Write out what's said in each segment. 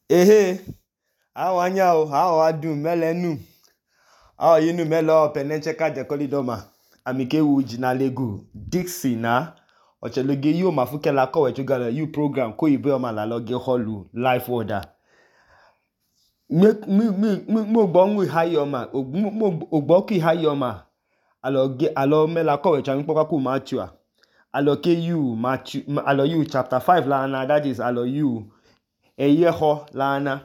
Ehe, awanya o, awo adu melenu. Awo yinu melo penencheka jekolidoma. Amike wu jinalegu Dixie na. Ocheloge yu mafuke la kowe chugala yu program ko ibe oma la loge holu life order. Mo hayi oma, ogbo ki hayi oma. Alo me la kowe chami poka ku Matthew. Alo yu chapter 5 la na, that is alo yu eyeho la na.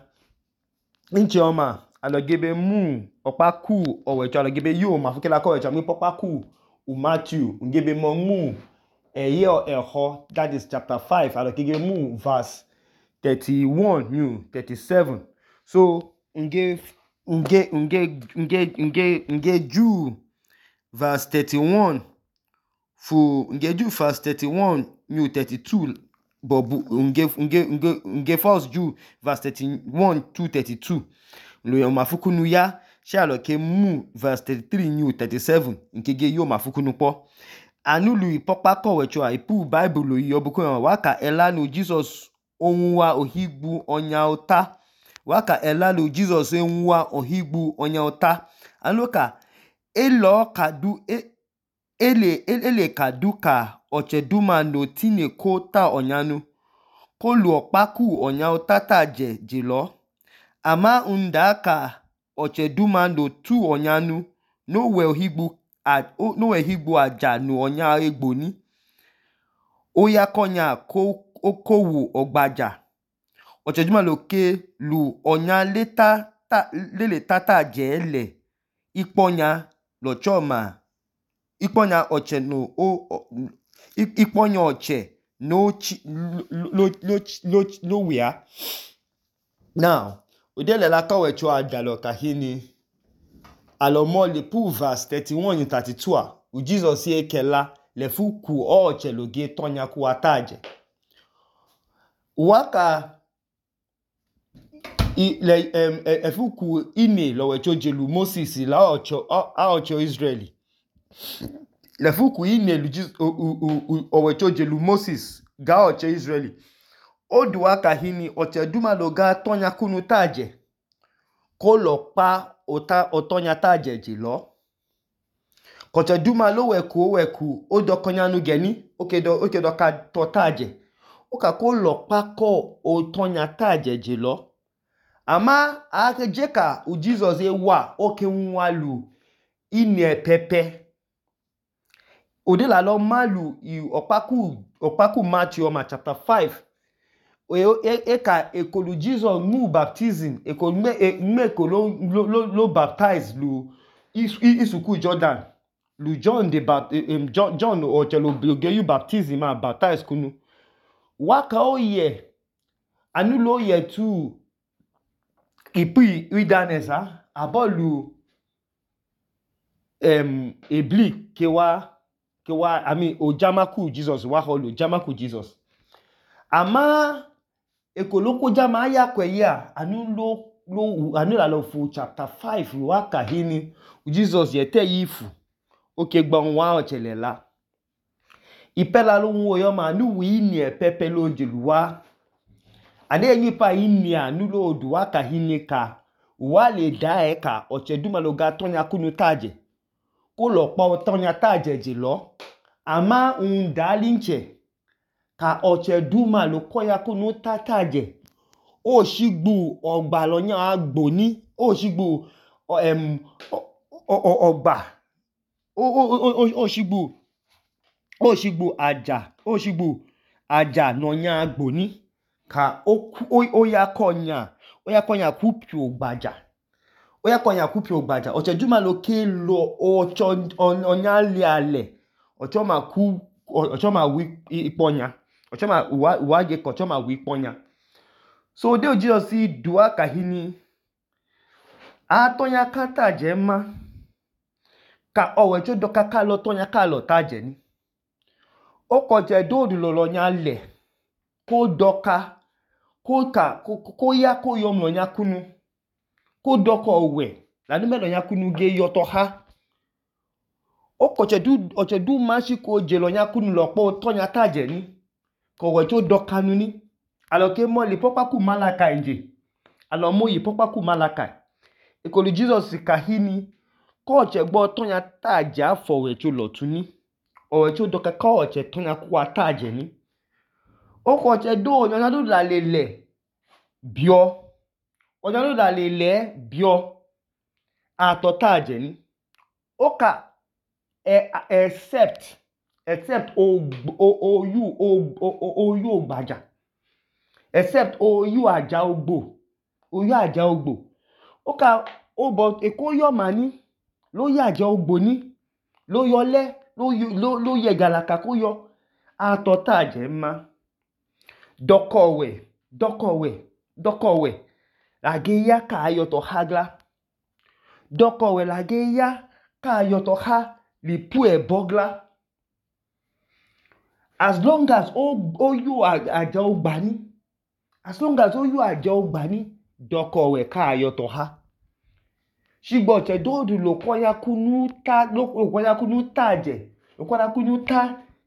Inche oma, alo gebe mu opaku owecho, alo gebe yu mafuke la kowe chami poka ku Matthew. Ngebe mo mu eho, that is chapter 5. Alo gebe mu verse 31 new 37. So nge ju verse 31 nge ju verse 31 new 32 bobu nge first ju verse 31 to 32 lo mafukunu ya sha alo ke mu verse 33 new 37 nke ge yo mafukunu po anulu ipopa kowe cho ipu bible lo yobuko waka elanu Jesus onwa ohigbu onya ota. Waka elalu Jesus enwa ohigbu onya ota. Anoka ele kadu ka ocheduma no tine ko ta onyanu. Ko lu okpaku onya ota ta jelo. Ama unda ka ocheduma no tu onyanu. No we ohigbu aja no onya egbo ni. Oya konya kowu ogbaja. Ocheduma loke lu onya lele tata jele ikponya lo choma ikponya oche no ikponya oche no wea. Now udele la kawe cho adalo kahini alomo le pu verse 31 32 u Jesus ye kela le fuku oche loge tonya ku ataje waka efuku ine lowe cho jelu Moses la ocho Israeli. Lefuku ine owe cho jelu Moses ga ocho Israeli. Odu waka hini oche duma loga tonya kunu taje. Ko lo pa otonya taje jelo. Koche duma lo weku odo konyanu geni okedo ka to taje. Oka ko lo pa ko otonya taje jelo. Ama ake jeka u Jesus ewa oke nwalu ine pepe. Odela lo malu opaku Matthew oma chapter 5. Eka ekolu Jesus mu baptism. Ekolu lo baptize lu isuku Jordan. Lu John John ochelo ge yu baptism ma baptize kunu. Waka oye anulo oye tu ipi idanesa abolu ebli kewa ojamaku Jesus wa holu jamaku Jesus. Ama ekoloko jama ya kweya anula lo fu chapter 5 waka hini Jesus yete yifu oke gbon wa ochelela. Ipela lo nwo yo ma nu wi ni pepe lo jeluwa. Ade nipa ini anulo odu waka hini ka wale da ka ocheduma lo ga tonya kunu taje. Ko lo pa otonya taje jelo. Ama undalinche ka ocheduma lo koya kunu taje. O shigbu ogba lo nya agbo ni. O shigbu ogba. O shigbu aja no nya agbo ni. Ka oya konya kupi ogbaja. Oya konya kupi ogbaja. Ocheduma lo ke lo onya liale. Ochoma wi iponya. Ochoma uwage ko ochoma wi iponya. So de Jesus si duwa kahini atonya kata jema ka owecho doka kalo tonya kalo taje ni. Okoje do lo nya le ko doka ko ya ko yom lo nya kunu ko doko owe la nume lo nya kunu ge yoto ha. Oche du mashi ko je lo nya kunu lo po tonya taje ni ko wecho doka nu ni aloke mo le popa ku malaka nje alomo yi pokpaku Malakai ekolu Jesus kahini koche gbo tonya taje afọ ọwẹcho lọtuni ọwẹcho doka koche tonya kwa taje ni okoche do onyanya do la lele bio onyanya do la lele bio ato taje ni oka except oyu ogbaja except oyu aja ogbo oka obo ekoyo mani lo ya aja ogbo ni lo yole lo ye galaka ko yo ato taje ma dokowe lage ya ka ayoto hagla dokowe lage ya ka ayoto ha lipu ebogla as long as oyu aja ogbani dokowe ka ayoto ha shigbo che dodu lo kwanya kunu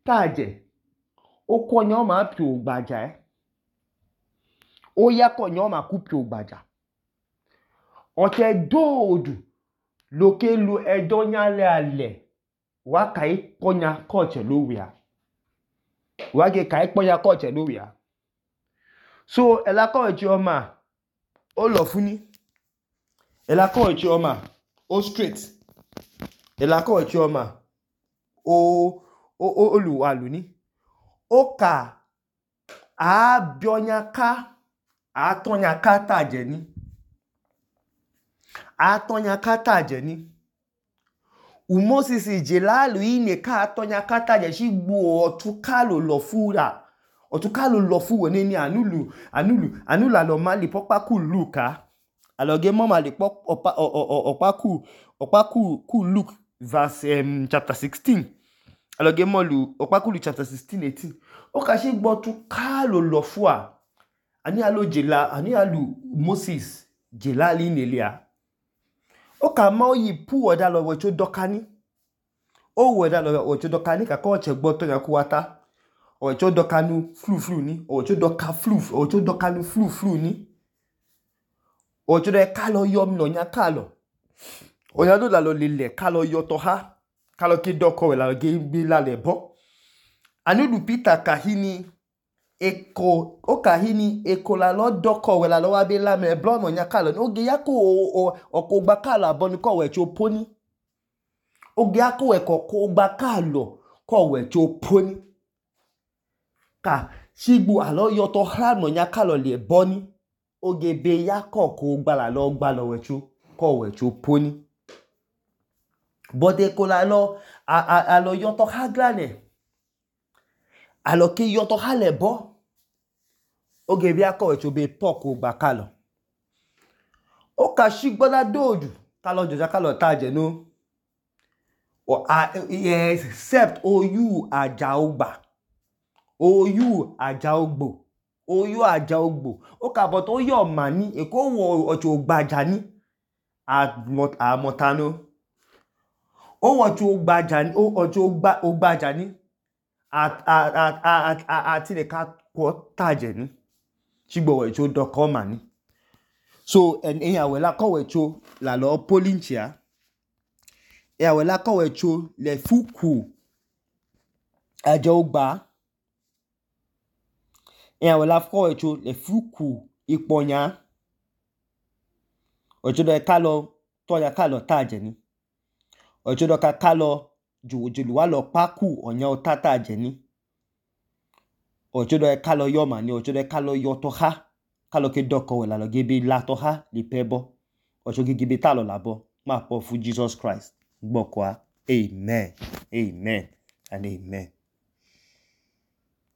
taje okonya o ma pi ogbaja oya konya o ma ku pi ogbaja oche dodu loke lu edonya ale wa kai konya koche lowia wage kai konya koche lowia so elakowechi oma o lo funi elakowechi oma o straight elakowechi oma o luwalu ni oka abionya ka atonya ka taje ni Moses jelalu ine ka atonya ka taje shigbo otukalo lo fura otukalo lo fu woni ni anulu alo mali pokpaku Luka aloge mama le okpaku Luke verse chapter 16 aloge molu okpaku Luke chapter 16:18 oka shigbo otukalo lo fua ani alu Moses jelali nelia oka ma oyi pu oda lo wecho dokani o weda lo wecho dokani ka ko che gbo to yan kuwata owecho dokanu flu ni owecho dokanu flu ni owecho de kalo yom no nya kalo oya do la lo lele kalo yoto ha kalo ki doko we la ge bi la le bo anu Peter kahini eko la lo doko we la lo wa be la me blo no nya kalo oge ya ko okogba kalo aboni ko wecho poni oge ya ko okogba kalo ko wecho poni ka shigbu alo yoto ha no nya kalo le boni oge be ya ko gba la lo gba lo wecho ko wecho poni bode ko la lo alo yoto ha glane alo ki yoto ha le bo oge bi ako wecho be poko gba kalo oka shigbo la dodu kalo joja kalo taje no except oyu aja ogbo oka but oyo mani eko wo ocho ogbaja ni amotano o ocho ogbaja ni ati le ka ko taje ni shigbo wecho doko mani so eyan we la ko wecho la lo polinchia eyan we la ko wecho le fuku aja ogba eyan we la ko wecho le fuku iponya ocho do kalo toya kalo taje ni ocho do ka kalo julu wa lo paku onya o tataje ni ocho do kalo yoma ni ocho do kalo yoto ha kalo ke doko we la lo gebe la to ha li pebo ocho gebe talo labo ma po fu Jesus Christ gboko a amen and amen.